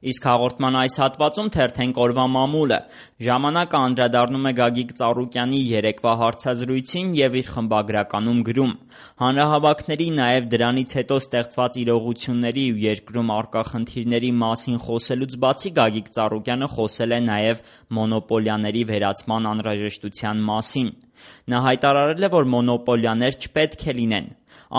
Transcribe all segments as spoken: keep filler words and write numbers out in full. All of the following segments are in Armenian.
Իսկ հաղորդման այս հատվածում թերթենք օրվա մամուլը։ Ժամանակը անդրադառնում է Գագիկ Ծառուկյանի երեկվա հարցազրույցին և իր խմբագրականում գրում. հանրահավաքների, նաև դրանից հետո ստեղծված իրողությունների ու երկրում առկա խնդիրների մասին խոսելուց բացի Գագիկ Ծառուկյանը խոսել է նաև մոնոպոլիաների վերացման անհրաժեշտության մասին։ Նա հայտարարել է, որ մոնոպոլիաներ չպետք է լինեն։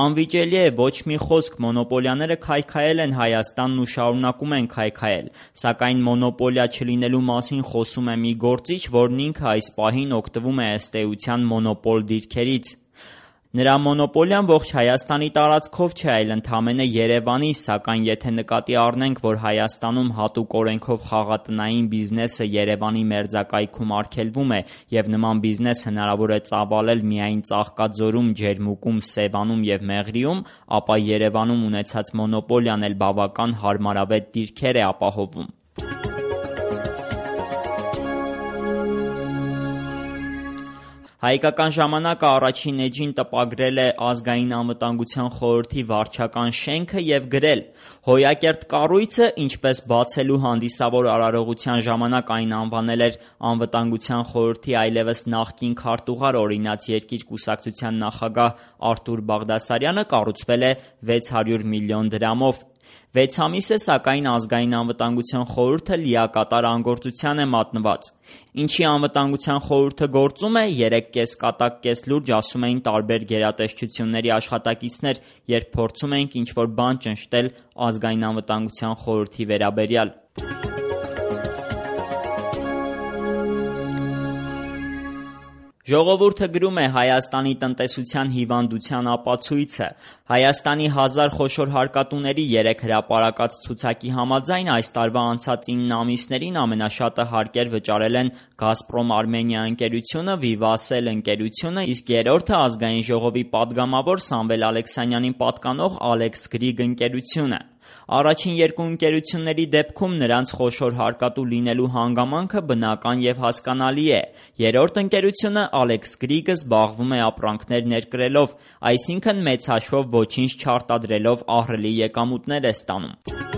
Անվիճելի է, ոչ մի խոսք, մոնոպոլիաները քայքայել են Հայաստանն ու շարունակում են քայքայել, սակայն մոնոպոլիա չլինելու մասին խոսում է մի գործիչ, որն ինքը այս պահին օգտվում է ըստ էության մոնոպոլ դիրքերից։ Նրա մոնոպոլիան ողջ Հայաստանի տարածքով չէ, այլ ընդամենը Երևանի, սակայն եթե նկատի առնենք, որ Հայաստանում հատուկ օրենքով խաղատնային բիզնեսը Երևանի մերձակայքում արգելվում է և նման բիզնես հնարավոր է ծավալել միայն Ծաղկաձորում, Ջերմուկում, Սևանում և Մեղրիում, ապա Երևանում ունեցած մոնոպոլիան էլ բավական հարմարավետ դիրքեր է ապահովում։ Հայկական ժամանակը առաջին էջին տպագրել է Ազգային անվտանգության խորհրդի վարչական շենքը և գրել. «Հոյակերտ կառույցը, ինչպես բացելու հանդիսավոր արարողության ժամանակ այն անվանել էր Անվտանգության խորհրդի այլևս նախկին քարտուղար օրինաց երկիր կուսակցության նախագահ Արթուր Բաղդասարյանը, կառուցվել է վեց հարյուր միլիոն դրամով։ Վեց ամիս է, սակայն Ազգային անվտանգության խորհուրդը լիակատար անգործության է մատնված։ Ինչի անվտանգության խորհուրդը գործում է, երեք կես կատակ կես լուրջ ասում էին տարբեր գերատեսչությունների աշխատակիցներ, երբ փորձում էինք ինչ-որ բան ճնշտել Ազգային անվտանգության խորհրդի վերաբերյալ»։ Ժողովուրդը գրում է Հայաստանի տնտեսության հիվանդության ապացույցը։ Հայաստանի հազար խոշոր հարկատուների երեք հրապարակած ցուցակի համաձայն այս տարվա անցած ինը ամիսներին ամենաշատը հարկեր վճարել են Գազպրոմ Արմենիա ընկերությունը, Վիվասել ընկերությունը, իսկ երրորդը Ազգային ժողովի պատգամավոր Սամվել Ալեքսանյանին պատկանող Ալեքս Գրիգ ընկերությունը։ Առաջին երկու ընկերությունների դեպքում նրանց խոշոր հարկատու լինելու հանգամանքը բնական և հասկանալի է։ Երրորդ ընկերությունը Ալեքս Գրիգը զբաղվում է ապրանքներ ներկրելով, այսինքն մեծ հաշվով ոչինչ չարտադրելով ահռելի եկամուտներ է ստանում։